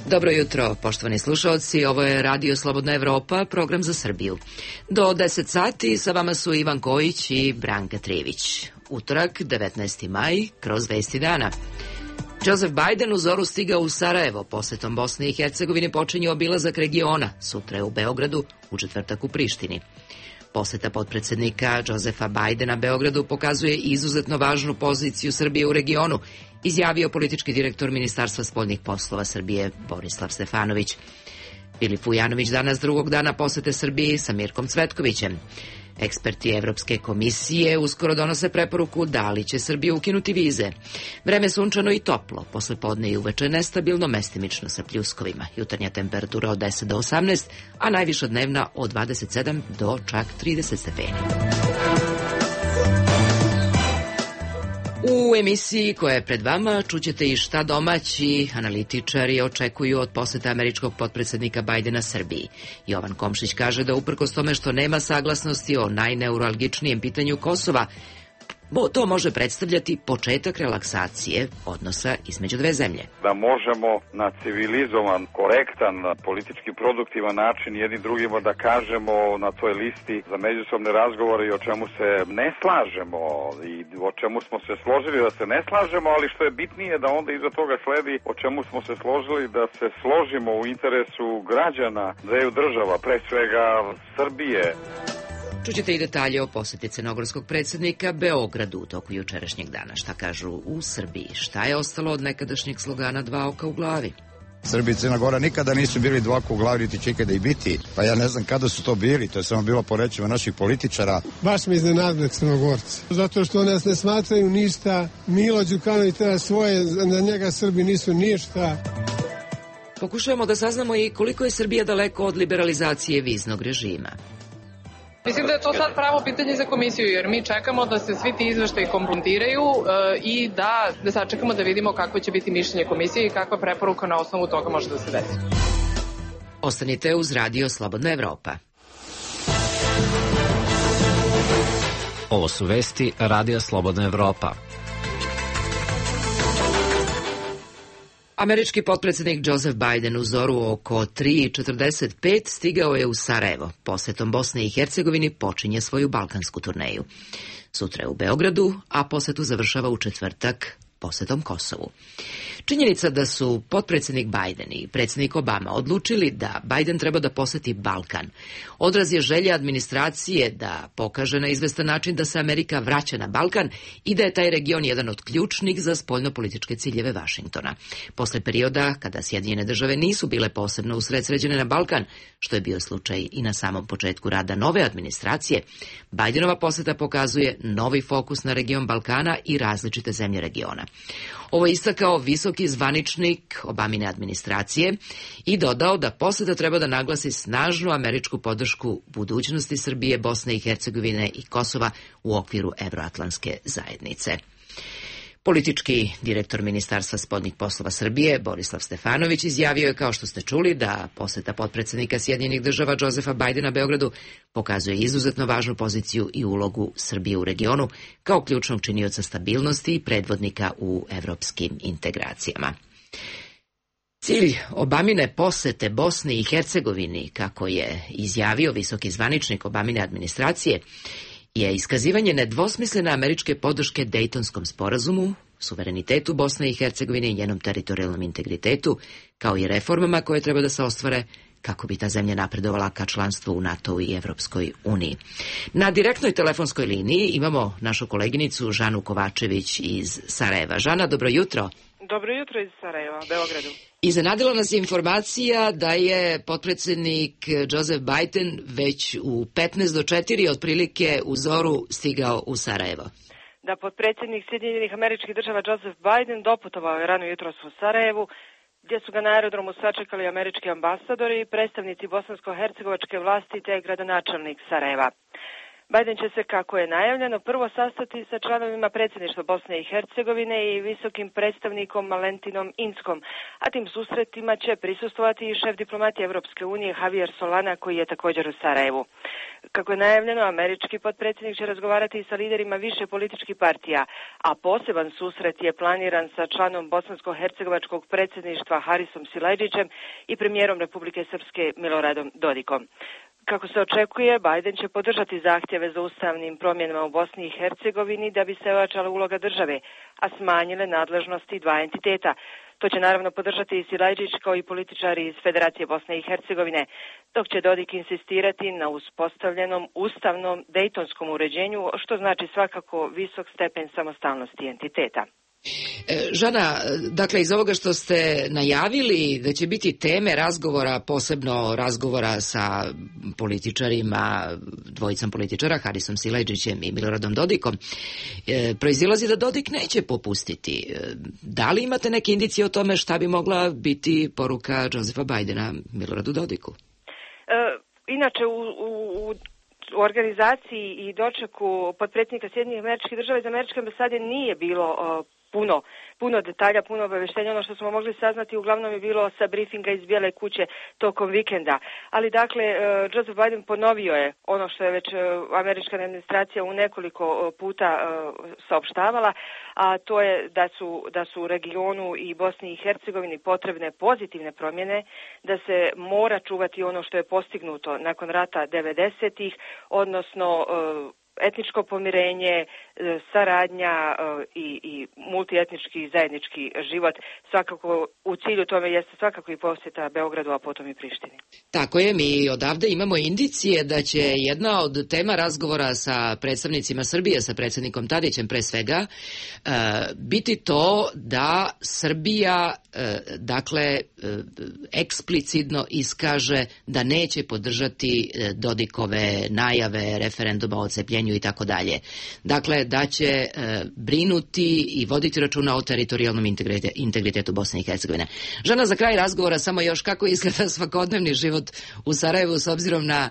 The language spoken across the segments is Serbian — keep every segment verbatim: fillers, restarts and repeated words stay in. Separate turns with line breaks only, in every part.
Dobro jutro, poštovani slušalci, ovo je Radio Slobodna Evropa, program za Srbiju. Do deset sati sa vama su Ivan Kojić i Branka Trijević. Utorak, devetnaesti maj, kroz vesti dana. Joseph Biden u zoru stigao u Sarajevo, posetom Bosne i Hercegovine počinje obilazak regiona, sutra je u Beogradu, u četvrtak u Prištini. Poseta potpredsednika Josefa Bidena Beogradu pokazuje izuzetno važnu poziciju Srbije u regionu, izjavio politički direktor Ministarstva spoljnih poslova Srbije Borislav Stefanović. Filip Vujanović danas drugog dana posete Srbiji sa Mirkom Cvetkovićem. Eksperti Evropske komisije uskoro donose preporuku da li će Srbija ukinuti vize. Vreme sunčano i toplo, posle podne i uveče nestabilno, mestimično sa pljuskovima. Jutarnja temperatura od deset do osamnaest, a najviša dnevna od dvadeset sedam do čak trideset stepeni. U emisiji koja je pred vama čućete i šta domaći analitičari očekuju od poseta američkog potpredsednika Bajdena Srbiji. Jovan Komšić kaže da uprkos tome što nema saglasnosti o najneuralgičnijem pitanju Kosova, bo to može predstavljati početak relaksacije odnosa između dve zemlje.
Da možemo na civilizovan, korektan, politički produktivan način jedni drugima da kažemo na toj listi za međusobne razgovore i o čemu se ne slažemo i o čemu smo se složili da se ne slažemo, ali što je bitnije da onda iza toga sledi o čemu smo se složili da se složimo u interesu građana dveju država, pre svega Srbije.
Čućete i detalje o poseti crnogorskog predsjednika Beogradu u toku jučerašnjeg dana. Šta kažu u Srbiji? Šta je ostalo od nekadašnjeg slogana dva oka u glavi?
Srbija i Crna Gora nikada nisu bili dva oka u glavi, niti će ikada i biti. Pa ja ne znam kada su to bili, to je samo bilo po rečima naših političara.
Baš mi iznenadili Crnogorci. Zato što nas ne smatraju ništa. Milo Đukanović treba svoje, na njega Srbi nisu ništa.
Pokušavamo da saznamo i koliko je Srbija daleko od liberalizacije viznog režima.
Mislim da je to sad pravo pitanje za komisiju, jer mi čekamo da se svi ti izveštaji kompletiraju e, i da, da sačekamo da vidimo kako će biti mišljenje komisije i kakva preporuka na osnovu toga može da se desi.
Ostanite uz Radio Slobodna Evropa.
Ovo su vesti Radio Slobodna Evropa.
Američki potpredsjednik Joseph Biden u zoru oko tri četrdeset pet stigao je u Sarajevo. Posetom Bosne i Hercegovini počinje svoju balkansku turneju. Sutra je u Beogradu, a posetu završava u četvrtak posetom Kosovu. Činjenica da su potpredsjednik Biden i predsjednik Obama odlučili da Biden treba da poseti Balkan odraz je želje administracije da pokaže na izvestan način da se Amerika vraća na Balkan i da je taj region jedan od ključnih za spoljnopolitičke ciljeve Vašingtona. Posle perioda kada Sjedinjene države nisu bile posebno usredsređene na Balkan, što je bio slučaj i na samom početku rada nove administracije, Bidenova poseta pokazuje novi fokus na region Balkana i različite zemlje regiona. Ovo je istakao visoki zvaničnik Obamine administracije i dodao da poseta treba da naglasi snažnu američku podršku budućnosti Srbije, Bosne i Hercegovine i Kosova u okviru Evroatlantske zajednice. Politički direktor Ministarstva spoljnih poslova Srbije, Borislav Stefanović, izjavio je, kao što ste čuli, da poseta potpredsjednika Sjedinjenih država Josefa Bidena Beogradu pokazuje izuzetno važnu poziciju i ulogu Srbije u regionu kao ključnog činioca stabilnosti i predvodnika u evropskim integracijama. Cilj Obamine posete Bosni i Hercegovini, kako je izjavio visoki zvaničnik Obamine administracije, je iskazivanje nedvosmislene američke podrške Dejtonskom sporazumu, suverenitetu Bosne i Hercegovine i njenom teritorijalnom integritetu, kao i reformama koje treba da se ostvare kako bi ta zemlja napredovala ka članstvu u NATO i Evropskoj uniji. Na direktnoj telefonskoj liniji imamo našu koleginicu Žanu Kovačević iz Sarajeva. Žana, dobro jutro.
Dobro jutro iz Sarajeva, Beogradu.
Iznenadila nas je informacija da je potpredsjednik Joseph Biden već u petnaest do četiri otprilike u zoru stigao u Sarajevo.
Da, potpredsjednik Sjedinjenih Američkih Država Joseph Biden doputovao je rano jutros u Sarajevu, gdje su ga na aerodromu sačekali američki ambasadori i predstavnici bosansko-hercegovačke vlasti te gradonačelnik Sarajeva. Biden će se, kako je najavljeno, prvo sastati sa članovima predsjedništva Bosne i Hercegovine i visokim predstavnikom Valentinom Inckom, a tim susretima će prisustvovati i šef diplomatije Evropske unije Javier Solana, koji je također u Sarajevu. Kako je najavljeno, američki potpredsjednik će razgovarati i sa liderima više političkih partija, a poseban susret je planiran sa članom bosansko-hercegovačkog predsjedništva Harisom Silajdžićem i premijerom Republike Srpske Miloradom Dodikom. Kako se očekuje, Biden će podržati zahtjeve za ustavnim promjenama u Bosni i Hercegovini da bi se ojačala uloga države, a smanjile nadležnosti dva entiteta. To će naravno podržati i Silajdžić kao i političari iz Federacije Bosne i Hercegovine, dok će Dodik insistirati na uspostavljenom ustavnom dejtonskom uređenju, što znači svakako visok stepen samostalnosti entiteta.
Žana, dakle iz ovoga što ste najavili da će biti teme razgovora, posebno razgovora sa političarima, dvojicom političara, Harisom Silajdžićem i Miloradom Dodikom, proizilazi da Dodik neće popustiti. Da li imate neke indicije o tome šta bi mogla biti poruka Josefa Bidena Miloradu Dodiku?
E, inače u, u, u organizaciji i dočeku potpredsjednika Sjedinjenih Američkih Država iz Američke ambasade nije bilo o, puno, puno detalja, puno obavještenja. Ono što smo mogli saznati uglavnom je bilo sa briefinga iz Bijele kuće tokom vikenda. Ali dakle, Joseph Biden ponovio je ono što je već američka administracija u nekoliko puta saopštavala, a to je da su, da su u regionu i Bosni i Hercegovini potrebne pozitivne promjene, da se mora čuvati ono što je postignuto nakon rata devedesetih, odnosno etničko pomirenje, saradnja i, i multietnički zajednički život. Svakako u cilju tome jeste svakako i posjeta Beogradu, a potom i Prištini.
Tako je, mi odavde imamo indicije da će jedna od tema razgovora sa predstavnicima Srbije, sa predsjednikom Tadićem pre svega, biti to da Srbija dakle eksplicitno iskaže da neće podržati Dodikove najave referenduma o odcepljenju i tako dalje. Dakle, da će e, brinuti i voditi računa o teritorijalnom integritetu, integritetu Bosne i Hercegovine. Žana, za kraj razgovora samo još kako izgleda svakodnevni život u Sarajevu s obzirom na,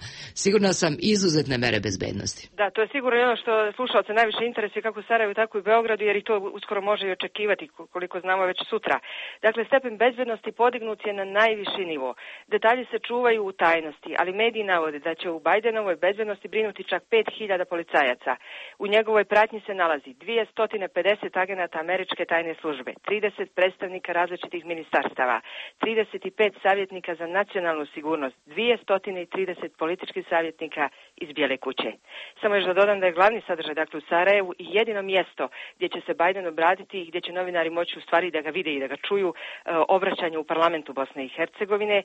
sigurno sam, izuzetne mere bezbednosti.
Da, to je sigurno ono što slušalce najviše interesuje kako u Sarajevu, tako i u Beogradu, jer i to uskoro može i očekivati, koliko znamo već sutra. Dakle, stepen bezbednosti podignut je na najviši nivo. Detalji se čuvaju u tajnosti, ali mediji navode da će u Bajdenovoj bezbednosti brinuti čak pet hiljada policajaca. U njegovoj pratnji se nalazi dvjesto pedeset agenata američke tajne službe, trideset predstavnika različitih ministarstava, trideset pet savjetnika za nacionalnu sigurnost, dvjesto trideset političkih savjetnika iz Bijele kuće. Samo još da dodam da je glavni sadržaj dakle u Sarajevu i jedino mjesto gdje će se Biden obratiti i gdje će novinari moći u stvari da ga vide i da ga čuju, obraćanje u parlamentu Bosne i Hercegovine,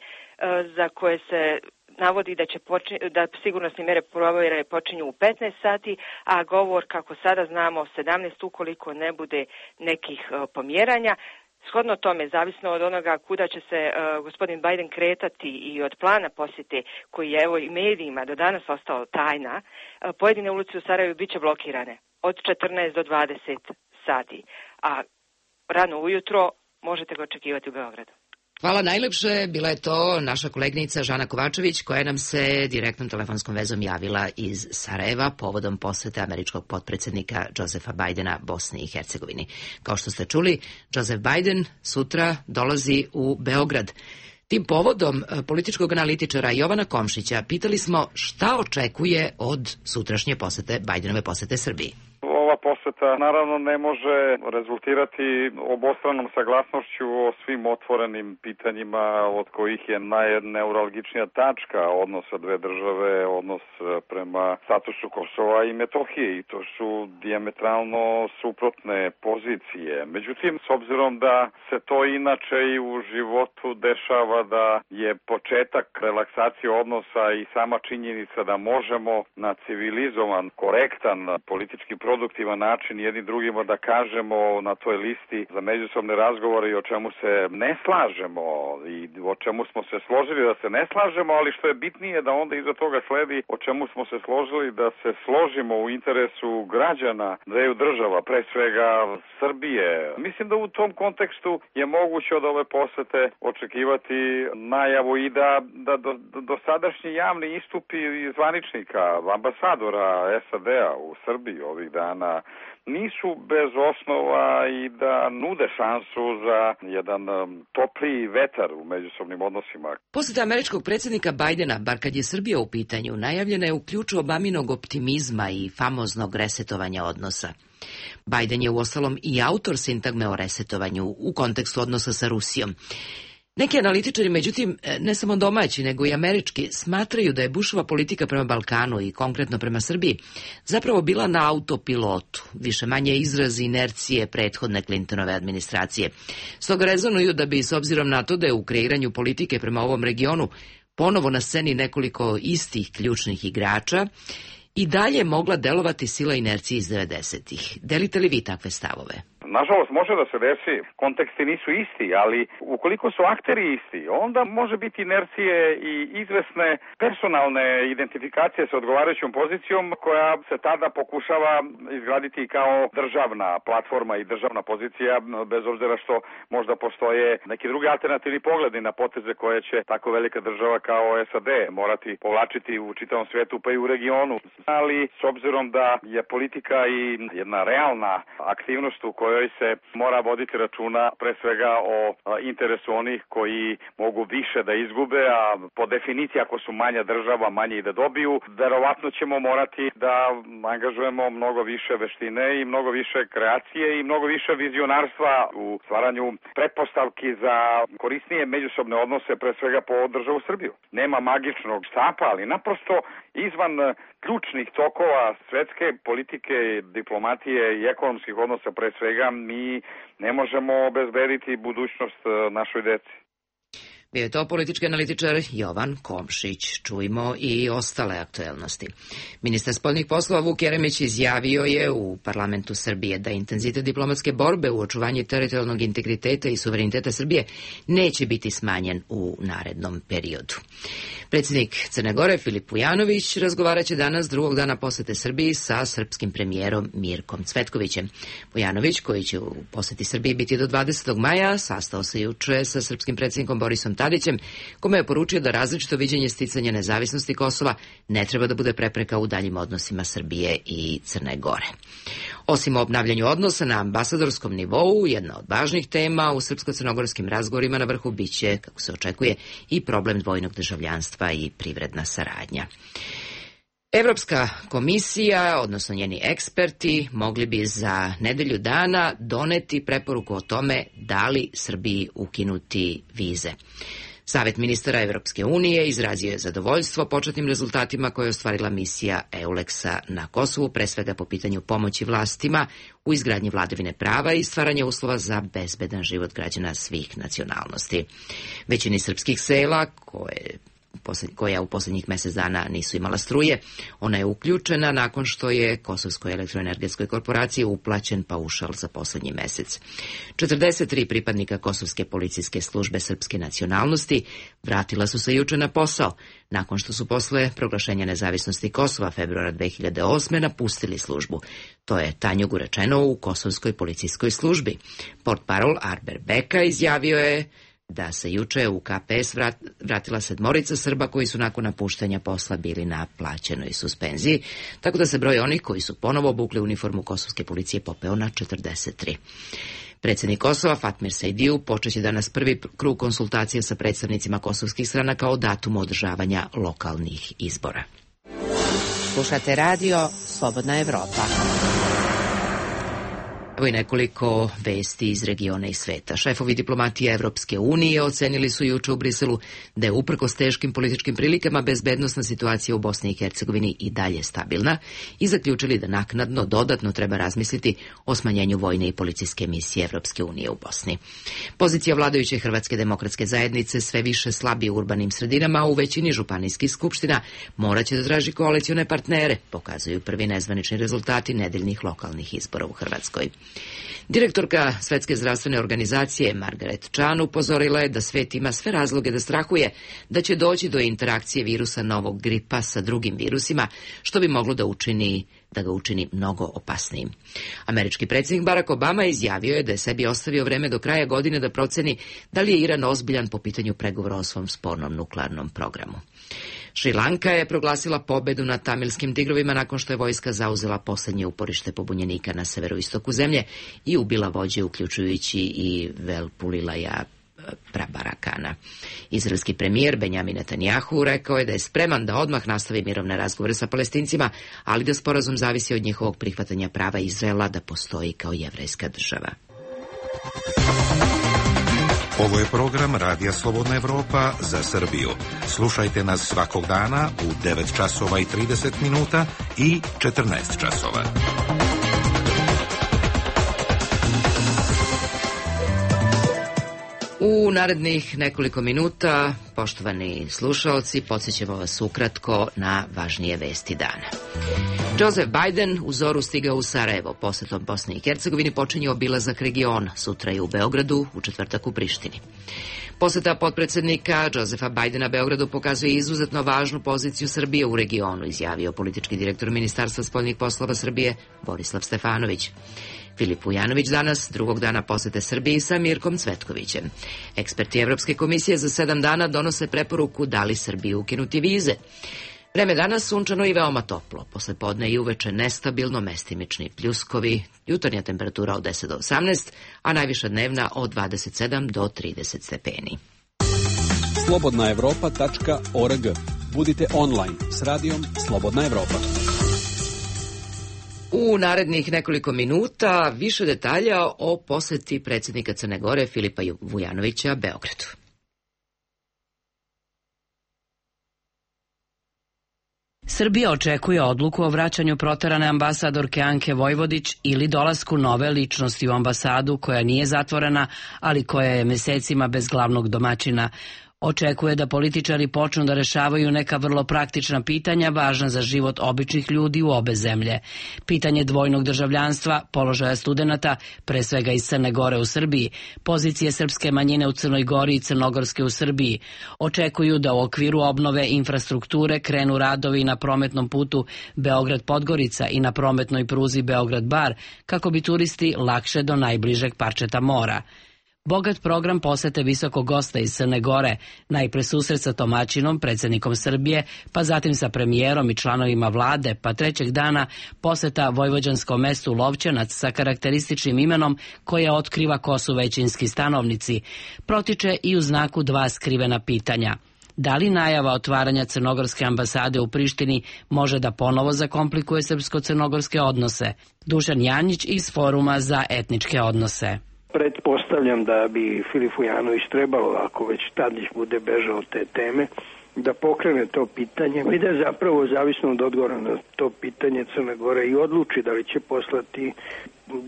za koje se navodi da će počin, da sigurnosne mere provjere počinju u petnaest sati, a govor, kako sada znamo, sedamnaest ukoliko ne bude nekih uh, pomjeranja. Shodno tome, zavisno od onoga kuda će se uh, gospodin Biden kretati i od plana posjete, koji je evo i medijima do danas ostao tajna, uh, pojedine ulice u Sarajevu bit će blokirane od četrnaest do dvadeset sati, a rano ujutro možete ga očekivati u Beogradu.
Hvala najlepše, bila je to naša kolegnica Žana Kovačević koja nam se direktnom telefonskom vezom javila iz Sarajeva povodom posjete američkog potpredsjednika Josefa Bidena Bosni i Hercegovini. Kao što ste čuli, Joseph Biden sutra dolazi u Beograd. Tim povodom političkog analitičara Jovana Komšića pitali smo šta očekuje od sutrašnje posjete, Bidenove posjete Srbiji.
Ova posjeta naravno ne može rezultirati obostranom saglasnošću o svim otvorenim pitanjima, od kojih je najneuralgičnija tačka odnosa dve države, odnos prema statusu Kosova i Metohije, i to su dijametralno suprotne pozicije. Međutim, s obzirom da se to inače i u životu dešava, da je početak relaksacije odnosa i sama činjenica da možemo na civilizovan, korektan, politički produktiv produktivan način jednim drugima da kažemo na toj listi za međusobne razgovore i o čemu se ne slažemo i o čemu smo se složili da se ne slažemo, ali što je bitnije da onda iza toga sledi o čemu smo se složili da se složimo u interesu građana dveju država, pre svega Srbije. Mislim da u tom kontekstu je moguće od ove posete očekivati najavu i da, da do, do sadašnji javni istupi zvaničnika, ambasadora S A D-a u Srbiji ovih dana nisu bez osnova i da nude šansu za jedan um, topliji vetar u međusobnim odnosima.
Poseta američkog predsjednika Bajdena, bar kad je Srbija u pitanju, najavljena je u ključu Obaminog optimizma i famoznog resetovanja odnosa. Bajden je uostalom i autor sintagme o resetovanju u kontekstu odnosa sa Rusijom. Neki analitičari, međutim, ne samo domaći, nego i američki, smatraju da je Bushova politika prema Balkanu i konkretno prema Srbiji zapravo bila na autopilotu, više manje izraz inercije prethodne Clintonove administracije. Stoga rezonuju da bi, s obzirom na to da je u kreiranju politike prema ovom regionu ponovo na sceni nekoliko istih ključnih igrača, i dalje mogla delovati sila inercije iz devedesetih. Delite li vi takve stavove?
Nažalost, može da se desi, konteksti nisu isti, ali ukoliko su akteri isti, onda može biti inercije i izvesne personalne identifikacije sa odgovarajućom pozicijom koja se tada pokušava izgraditi kao državna platforma i državna pozicija, bez obzira što možda postoje neki drugi alternativni pogledi na poteze koje će tako velika država kao S A D morati povlačiti u čitavom svijetu pa i u regionu. Ali s obzirom da je politika i jedna realna aktivnost u kojoj se mora voditi računa pre svega o interesu onih koji mogu više da izgube, a po definiciji ako su manja država, manje i da dobiju, verovatno ćemo morati da angažujemo mnogo više veštine i mnogo više kreacije i mnogo više vizionarstva u stvaranju pretpostavki za korisnije međusobne odnose, pre svega po državu Srbiju. Nema magičnog štapa, ali naprosto izvan ključnih tokova svetske politike, diplomatije i ekonomskih odnosa pre svega mi ne možemo obezbediti budućnost našoj deci.
Bio je to politički analitičar Jovan Komšić. Čujmo i ostale aktuelnosti. Ministar spoljnih poslova Vuk Jeremić izjavio je u parlamentu Srbije da intenzitet diplomatske borbe u očuvanju teritorijalnog integriteta i suvereniteta Srbije neće biti smanjen u narednom periodu. Predsjednik Crne Gore Filip Vujanović razgovarat će danas drugog dana posete Srbiji sa srpskim premijerom Mirkom Cvetkovićem. Vujanović, koji će u poseti Srbiji biti do dvadesetog maja, sastao se juče sa srpskim predsjednikom Borisom Tadićem, kome je poručio da različito viđenje sticanja nezavisnosti Kosova ne treba da bude prepreka u daljim odnosima Srbije i Crne Gore. Osim o obnavljanju odnosa na ambasadorskom nivou, jedna od važnih tema u srpsko-crnogorskim razgovorima na vrhu biće, kako se očekuje, i problem dvojnog državljanstva i privredna saradnja. Evropska komisija, odnosno njeni eksperti, mogli bi za nedelju dana doneti preporuku o tome da li Srbiji ukinuti vize. Savet ministara Evropske unije izrazio je zadovoljstvo početnim rezultatima koje je ostvarila misija EULEX-a na Kosovu, pre svega po pitanju pomoći vlastima u izgradnji vladavine prava i stvaranja uslova za bezbedan život građana svih nacionalnosti. Većini srpskih sela koje koja u posljednjih mjesec dana nisu imala struje. Ona je uključena nakon što je Kosovskoj elektroenergetskoj korporaciji uplaćen paušal za posljednji mjesec. četrdeset tri pripadnika Kosovske policijske službe srpske nacionalnosti vratila su se juče na posao, nakon što su posle proglašenja nezavisnosti Kosova februara dve hiljade osme napustili službu. To je Tanjugu rečeno u Kosovskoj policijskoj službi. Portparol Arber Beka izjavio je da se juče u K P S vrat, vratila sedmorica Srba koji su nakon napuštanja posla bili na plaćenoj suspenziji, tako da se broj onih koji su ponovo obukli uniformu kosovske policije popeo na četrdeset tri. Predsjednik Kosova Fatmir Sejdiju počeće danas prvi krug konsultacija sa predstavnicima kosovskih stranaka o datumu održavanja lokalnih izbora.
Slušate radio Slobodna Evropa.
Evo i nekoliko vesti iz regiona i sveta. Šefovi diplomatije Evropske unije ocenili su juče u Briselu da je uprkos teškim političkim prilikama bezbednosna situacija u Bosni i Hercegovini i dalje stabilna i zaključili da naknadno dodatno treba razmisliti o smanjenju vojne i policijske misije Evropske unije u Bosni. Pozicija vladajuće Hrvatske demokratske zajednice sve više slabi u urbanim sredinama, u većini županijskih skupština moraće da traži koalicione partnere, pokazuju prvi nezvanični rezultati nedeljnih lokalnih izbora u Hrvatskoj. Direktorka Svetske zdravstvene organizacije Margaret Chan upozorila je da svet ima sve razloge da strahuje da će doći do interakcije virusa novog gripa sa drugim virusima, što bi moglo da učini da ga učini mnogo opasnijim. Američki predsjednik Barack Obama izjavio je da je sebi ostavio vreme do kraja godine da proceni da li je Iran ozbiljan po pitanju pregovora o svom spornom nuklearnom programu. Šrilanka je proglasila pobedu nad tamilskim tigrovima nakon što je vojska zauzela poslednje uporište pobunjenika na severoistoku zemlje i ubila vođe, uključujući i Velpulilaja Prabarakana. Izraelski premijer Benjamin Netanjahu rekao je da je spreman da odmah nastavi mirovne razgovore sa Palestincima, ali da sporazum zavisi od njihovog prihvatanja prava Izraela da postoji kao jevrejska država.
Ovo je program Radija Slobodna Evropa za Srbiju. Slušajte nas svakog dana u devet časova i trideset minuta i četrnaest časova.
U narednih nekoliko minuta, poštovani slušaoci, podsjećamo vas ukratko na važnije vesti dana. Joseph Biden u zoru stigao u Sarajevo. Posetom Bosni i Hercegovini počinje obilazak regiona. Sutra je u Beogradu, u četvrtak u Prištini. Poseta potpredsednika Josefa Bidena Beogradu pokazuje izuzetno važnu poziciju Srbije u regionu, izjavio politički direktor Ministarstva spoljnih poslova Srbije Borislav Stefanović. Filip Vujanović danas, drugog dana posete Srbiji sa Mirkom Cvetkovićem. Eksperti Evropske komisije za sedam dana donose preporuku da li Srbiji ukinuti vize. Vreme danas sunčano i veoma toplo. Posle podne i uveče nestabilno, mestimični pljuskovi, jutarnja temperatura od deset do osamnaest, a najviša dnevna od dvadeset sedam do trideset stepeni.
slobodna evropa tačka org. Budite online s radijom Slobodna Evropa.
U narednih nekoliko minuta više detalja o poseti predsjednika Crne Gore Filipa Vujanovića Beogradu.
Srbija očekuje odluku o vraćanju proterane ambasadorke Anke Vojvodić ili dolasku nove ličnosti u ambasadu koja nije zatvorena, ali koja je mesecima bez glavnog domaćina. Očekuje da političari počnu da rešavaju neka vrlo praktična pitanja važna za život običnih ljudi u obe zemlje. Pitanje dvojnog državljanstva, položaja studenata, pre svega iz Crne Gore u Srbiji, pozicije srpske manjine u Crnoj Gori i crnogorske u Srbiji. Očekuju da u okviru obnove infrastrukture krenu radovi na prometnom putu Beograd-Podgorica i na prometnoj pruzi Beograd-Bar, kako bi turisti lakše do najbližeg parčeta mora. Bogat program posete visokog gosta iz Crne Gore, najpre susret sa domaćinom, predsjednikom Srbije, pa zatim sa premijerom i članovima vlade, pa trećeg dana poseta vojvođanskom mestu Lovćenac sa karakterističnim imenom koje otkriva ko su većinski stanovnici. Protiče i u znaku dva skrivena pitanja. Da li najava otvaranja crnogorske ambasade u Prištini može da ponovo zakomplikuje srpsko-crnogorske odnose? Dušan Janjić iz Foruma za etničke odnose.
Pretpostavljam da bi Filip Vujanović trebalo, ako već Tadić bude bežao od te teme, da pokrene to pitanje i da zapravo zavisno od odgovora na to pitanje Crna Gora i odluči da li će poslati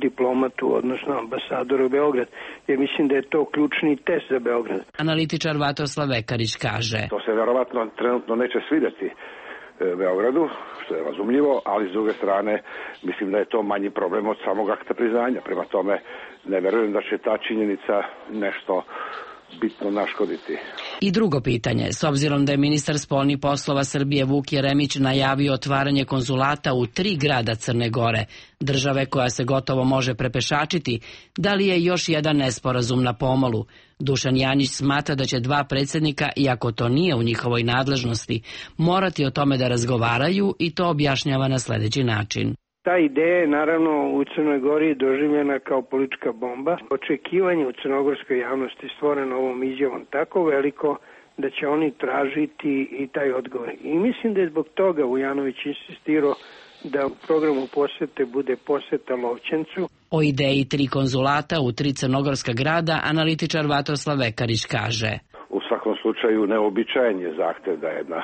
diplomatu, odnosno ambasadora u Beograd, jer mislim da je to ključni test za Beograd.
Analitičar Vatoslav Vekarić kaže:
To se verovatno trenutno neće svidjeti Beogradu, što je razumljivo, ali s druge strane mislim da je to manji problem od samog akta priznanja. Prema tome ne verujem da će ta činjenica nešto bitno naškoditi.
I drugo pitanje, s obzirom da je ministar spoljnih poslova Srbije Vuk Jeremić najavio otvaranje konzulata u tri grada Crne Gore, države koja se gotovo može prepešačiti, da li je još jedan nesporazum na pomolu? Dušan Janjić smatra da će dva predsjednika, iako to nije u njihovoj nadležnosti, morati o tome da razgovaraju i to objašnjava na sljedeći način.
Ta ideja je naravno u Crnoj Gori doživljena kao politička bomba. Očekivanje u crnogorskoj javnosti stvoreno ovom izjavom tako veliko da će oni tražiti i taj odgovor. I mislim da je zbog toga Vujanović insistirao da u programu posete bude poseta Lovćencu.
O ideji tri konzulata u tri crnogorska grada analitičar Vatroslav Vekarić kaže:
U svakom slučaju neobičajen je zahtev da jedna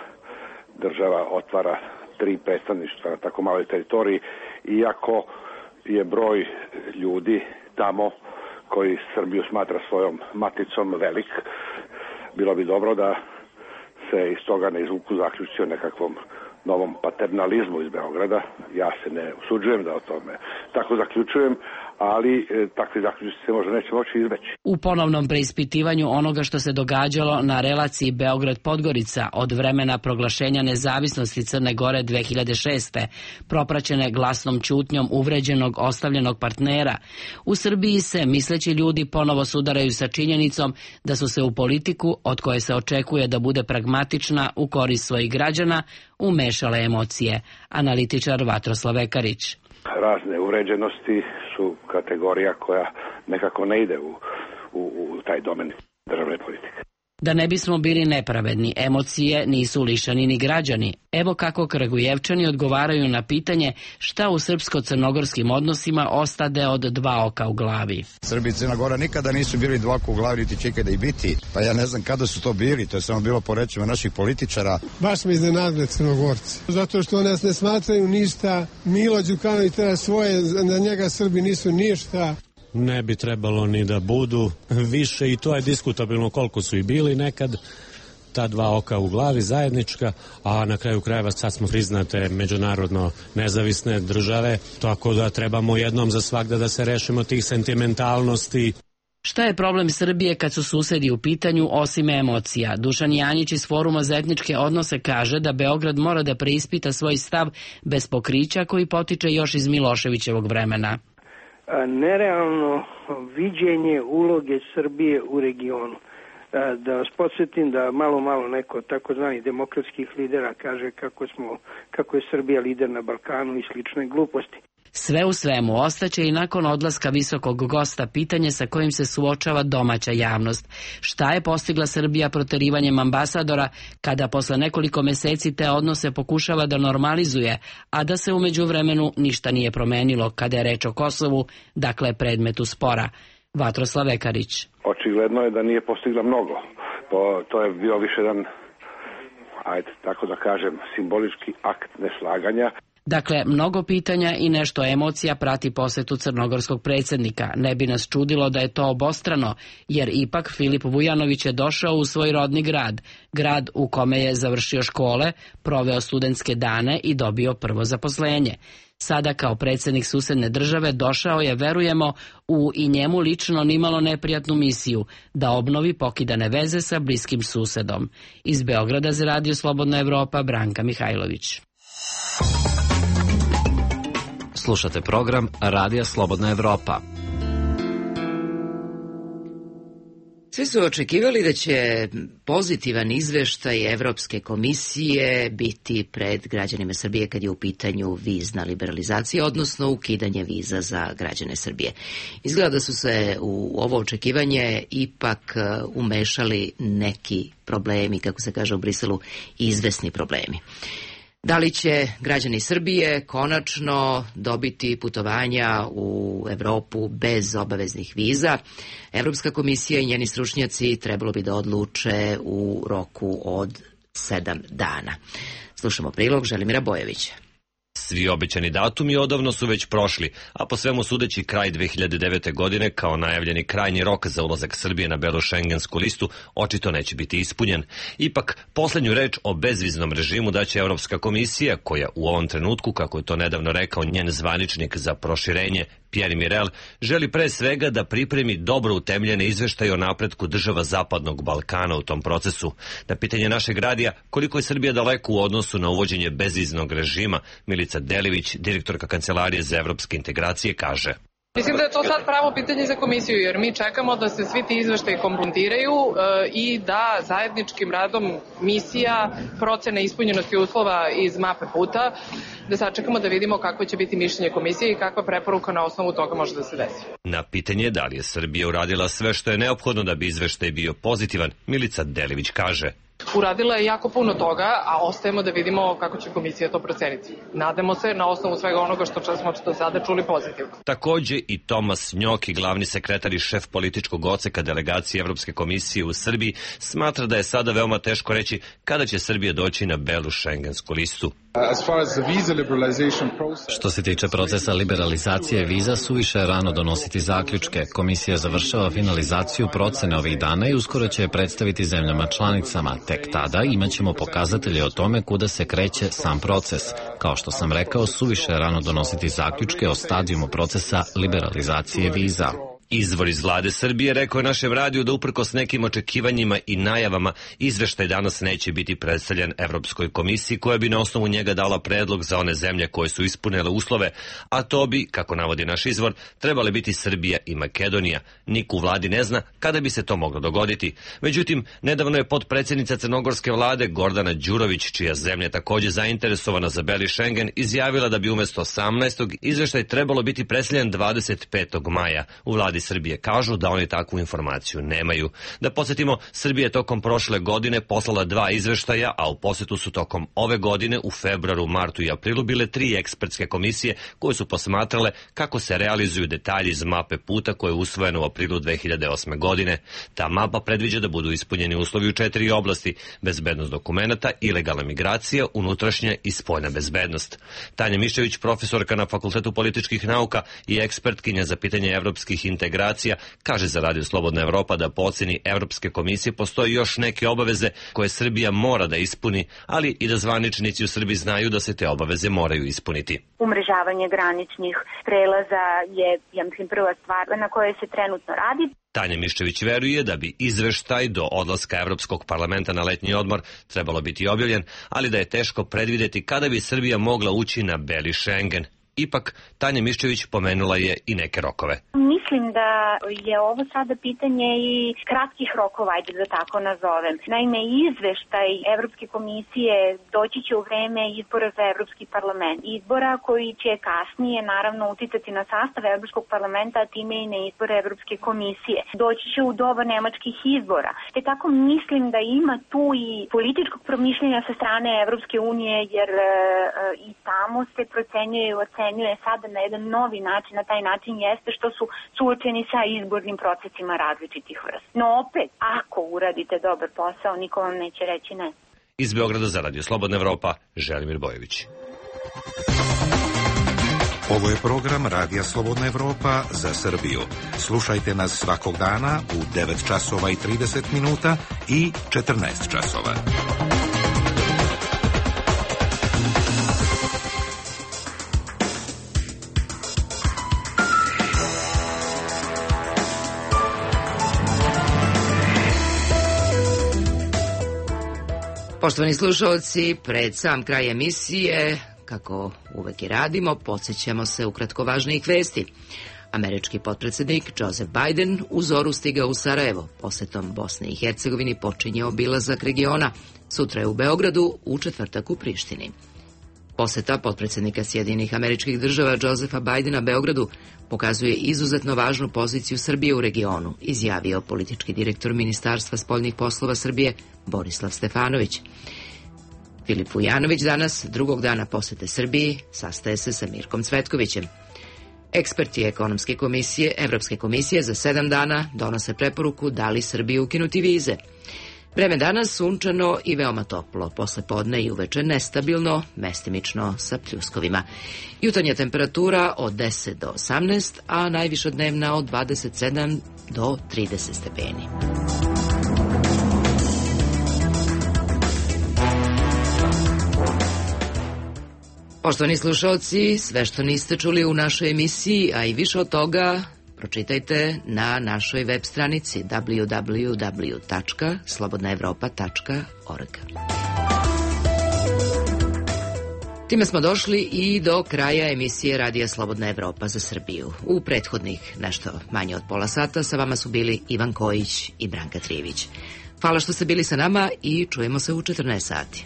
država otvara tri predstavništva na tako maloj teritoriji, iako je broj ljudi tamo koji Srbiju smatra svojom maticom velik. Bilo bi dobro da se iz toga ne izvuku zaključci o nekakvom novom paternalizmu iz Beograda. Ja se ne usuđujem da o tome tako zaključujem, ali e, takvi zaključci se možda neće moći izbeći.
U ponovnom preispitivanju onoga što se događalo na relaciji Beograd-Podgorica od vremena proglašenja nezavisnosti Crne Gore dve hiljade šeste. propraćene glasnom ćutnjom uvređenog ostavljenog partnera, u Srbiji se misleći ljudi ponovo sudaraju sa činjenicom da su se u politiku, od koje se očekuje da bude pragmatična u korist svojih građana, umešale emocije. Analitičar Vatroslav Vekarić.
Razne uvređenosti su kategorija koja nekako ne ide u, u, u taj domen državne politike.
Da ne bismo bili nepravedni, emocije nisu lišani ni građani. Evo kako Kragujevčani odgovaraju na pitanje šta u srpsko-crnogorskim odnosima ostade od dva oka u glavi.
Srbi i Crna Gora nikada nisu bili dva oka u glavi, niti će ikada i biti. Pa ja ne znam kada su to bili, to je samo bilo po rečima naših političara.
Baš me iznenadile Crnogorci. Zato što nas ne smatraju ništa. Milo Đukanović treba svoje, na njega Srbi nisu ništa.
Ne bi trebalo ni da budu više i to je diskutabilno koliko su i bili nekad ta dva oka u glavi zajednička, a na kraju krajeva sad smo priznate međunarodno nezavisne države, tako da trebamo jednom za svagda da se rešimo tih sentimentalnosti.
Šta je problem Srbije kad su susedi u pitanju osim emocija? Dušan Janjić iz Foruma za etničke odnose kaže da Beograd mora da preispita svoj stav bez pokrića koji potiče još iz Miloševićevog vremena.
Nerealno viđenje uloge Srbije u regionu. Da vas podsjetim da malo malo neko takozvani demokratskih lidera kaže kako smo, kako je Srbija lider na Balkanu i slične gluposti.
Sve u svemu, ostaće i nakon odlaska visokog gosta pitanje sa kojim se suočava domaća javnost. Šta je postigla Srbija proterivanjem ambasadora kada posle nekoliko meseci te odnose pokušava da normalizuje, a da se umeđu vremenu ništa nije promenilo kada je reč o Kosovu, dakle predmetu spora. Vatroslav Vekarić.
Očigledno je da nije postigla mnogo. To, to je bio više jedan, ajde tako da kažem, simbolički akt neslaganja.
Dakle, mnogo pitanja i nešto emocija prati posetu crnogorskog predsjednika. Ne bi nas čudilo da je to obostrano, jer ipak Filip Vujanović je došao u svoj rodni grad, grad u kome je završio škole, proveo studentske dane i dobio prvo zaposlenje. Sada kao predsjednik susedne države došao je, verujemo, u i njemu lično nimalo neprijatnu misiju da obnovi pokidane veze sa bliskim susedom. Iz Beograda za Radio Slobodna Evropa, Branka Mihajlović.
Slušate program Radija Slobodna Evropa.
Svi su očekivali da će pozitivan izveštaj Evropske komisije biti pred građanima Srbije kad je u pitanju vizna liberalizacija, odnosno ukidanje viza za građane Srbije. Izgleda da su se u ovo očekivanje ipak umešali neki problemi, kako se kaže u Briselu, izvesni problemi. Da li će građani Srbije konačno dobiti putovanja u Evropu bez obaveznih viza? Evropska komisija i njeni stručnjaci trebalo bi da odluče u roku od sedam dana. Slušamo prilog Želimira Bojevića.
Svi obećani datumi odavno su već prošli, a po svemu sudeći kraj dve hiljade devete. godine kao najavljeni krajnji rok za ulazak Srbije na belu šengensku listu očito neće biti ispunjen. Ipak, poslednju reč o bezviznom režimu daće Evropska komisija, koja u ovom trenutku, kako je to nedavno rekao njen zvaničnik za proširenje, Pierre Mirel, želi pre svega da pripremi dobro utemljene izveštaje o napretku država Zapadnog Balkana u tom procesu. Na pitanje našeg radija koliko je Srbija daleko u odnosu na uvođenje bezviznog režima, Milica Delivić, direktorka Kancelarije za evropske integracije, kaže:
Mislim da je to sad pravo pitanje za komisiju, jer mi čekamo da se svi ti izveštaji kompletiraju e, i da zajedničkim radom misija, procene ispunjenosti uslova iz mape puta, da sačekamo da vidimo kako će biti mišljenje komisije i kakva preporuka na osnovu toga može da se desi.
Na pitanje da li je Srbija uradila sve što je neophodno da bi izveštaj bio pozitivan, Milica Delivić kaže:
Uradila je jako puno toga, a ostajemo da vidimo kako će komisija to proceniti. Nadamo se na osnovu svega onoga što smo do sada čuli pozitivno.
Takođe i Tomas Njoki, glavni sekretar i šef političkog odseka delegacije Evropske komisije u Srbiji, smatra da je sada veoma teško reći kada će Srbija doći na belu šengensku listu.
Što se tiče procesa liberalizacije viza, suviše je rano donositi zaključke. Komisija završava finalizaciju procene ovih dana i uskoro će je predstaviti zemljama članicama. Tek tada imaćemo pokazatelje o tome kuda se kreće sam proces. Kao što sam rekao, suviše je rano donositi zaključke o stadijumu procesa liberalizacije viza.
Izvor iz vlade Srbije rekao je našem radiju da uprkos nekim očekivanjima i najavama izveštaj danas neće biti predstavljen Evropskoj komisiji koja bi na osnovu njega dala predlog za one zemlje koje su ispunile uslove, a to bi, kako navodi naš izvor, trebale biti Srbija i Makedonija. Niko u vladi ne zna kada bi se to moglo dogoditi. Međutim, nedavno je potpredsjednica crnogorske vlade Gordana Đurović, čija zemlja takođe zainteresovana za beli Šengen, izjavila da bi umesto osamnaestog izveštaj trebalo biti predstavljen dvadeset petog maja. U vladi Srbije kažu da oni takvu informaciju nemaju. Da podsjetimo, Srbija je tokom prošle godine poslala dva izveštaja, a u posetu su tokom ove godine u februaru, martu i aprilu bile tri ekspertske komisije koje su posmatrale kako se realizuju detalji iz mape puta koje je usvojeno u aprilu dve hiljade osme. godine. Ta mapa predviđa da budu ispunjeni uslovi u četiri oblasti: bezbednost dokumenata, ilegalna migracija, unutrašnja i spoljna bezbednost. Tanja Miščević, profesorka na Fakultetu političkih nauka i ekspertkinja za pitanje evropskih integracija, kaže za Radio Slobodna Evropa da po oceni Evropske komisije postoji još neke obaveze koje Srbija mora da ispuni, ali i da zvaničnici u Srbiji znaju da se te obaveze moraju ispuniti.
Umrežavanje graničnih prelaza je, ja mislim, prva stvar na kojoj se trenutno radi.
Tanja Miščević veruje da bi izveštaj do odlaska Evropskog parlamenta na letnji odmor trebalo biti objavljen, ali da je teško predvideti kada bi Srbija mogla ući na beli Šengen. Ipak, Tanja Miščević pomenula je i neke rokove.
Mislim da je ovo sada pitanje i kratkih rokova, ajde da tako nazovem. Naime, izveštaj Evropske komisije doći će u vreme izbora za Evropski parlament. Izbora koji će kasnije, naravno, uticati na sastav Evropskog parlamenta, a time i na izbore Evropske komisije. Doći će u doba nemačkih izbora. Te tako mislim da ima tu i političkog promišljenja sa strane Evropske unije, jer e, i tamo se procenjuje i ocenjuje sada na jedan novi način, na taj način jeste što su suočeni sa izbornim procesima različitih vrsta. No opet, ako uradite dobar posao, niko vam neće reći ne.
Iz Beograda za Radio Slobodna Evropa, Želimir Bojović.
Ovo je program Radija Slobodna Evropa za Srbiju. Slušajte nas svakog dana u devet časova i trideset minuta i četrnaest časova.
Poštovani slušalci, pred sam kraj emisije, kako uvek i radimo, podsjećamo se ukratko važnijih vesti. Američki potpredsednik Joseph Biden u zoru stigao u Sarajevo. Posetom Bosne i Hercegovini počinje obilazak regiona. Sutra je u Beogradu, u četvrtak u Prištini. Poseta potpredsednika Sjedinjenih Američkih Država Josepha Bidena Beogradu pokazuje izuzetno važnu poziciju Srbije u regionu, izjavio politički direktor Ministarstva spoljnih poslova Srbije Borislav Stefanović. Filip Vujanović danas, drugog dana posete Srbiji, sastaje se sa Mirkom Cvetkovićem. Eksperti ekonomske komisije Evropske komisije za sedam dana donose preporuku da li Srbiji ukinuti vize. Vreme danas sunčano i veoma toplo, posle podne i uveče nestabilno, mestimično sa pljuskovima. Jutarnja temperatura od deset do osamnaest, a najviša dnevna od dvadeset sedam do trideset stepeni. Poštovani slušalci, sve što niste čuli u našoj emisiji, a i više od toga, pročitajte na našoj web stranici w w w tačka slobodna evropa tačka org. Time smo došli i do kraja emisije Radija Slobodna Evropa za Srbiju. U prethodnih nešto manje od pola sata sa vama su bili Ivan Kojić i Branka Trijević. Hvala što ste bili sa nama i čujemo se u četrnaest sati.